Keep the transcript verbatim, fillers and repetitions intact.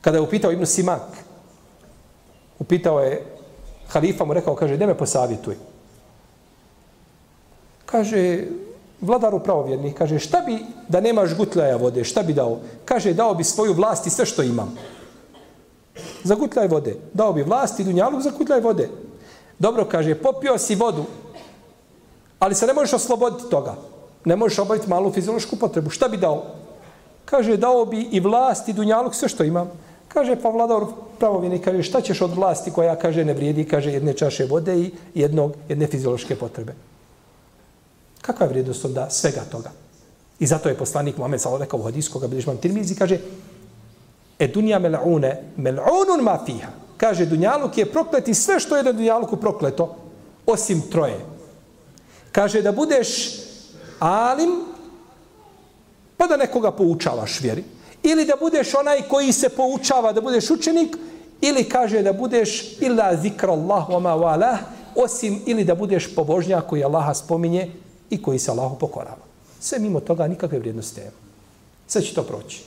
Kada je upitao Ibn Simak, upitao je, halifa mu rekao, kaže, ne me posavjetuj. Kaže, vladaru pravovjernih, kaže, šta bi da nemaš gutljaja vode, šta bi dao? Kaže, dao bi svoju vlast i sve što imam. Za gutljaj vode. Dao bi vlast i dunjaluk za gutljaj vode. Dobro, kaže, popio si vodu, ali se ne možeš osloboditi toga. Ne možeš obaviti malu fiziološku potrebu. Šta bi dao? Kaže, dao bi i vlast i dunjaluk, sve što imam. Kaže, pa vladar pravovjerni, kaže, šta ćeš od vlasti koja, kaže, ne vrijedi, kaže, jedne čaše vode i jednog, jedne fiziološke potrebe. Kakva je vrijednost onda svega toga? I zato je poslanik Muhammed sallallahu alejhi ve sellem rekao u hadisu koga bilježi Imam Tirmizi, kaže, e dunja mel'une, mel'unun ma fiha. Kaže, dunjaluk je proklet i sve što je na dunjaluku prokleto, osim troje. Kaže, da budeš alim, pa da nekoga poučavaš vjeri. Ili da budeš onaj koji se poučava, da budeš učenik, ili kaže da budeš illa zikrallah wa ma walah, osim ili da budeš pobožnjak koji Allaha spominje i koji se Allahu pokorava. Sve mimo toga nikakve vrijednosti nema. Sve će to proći.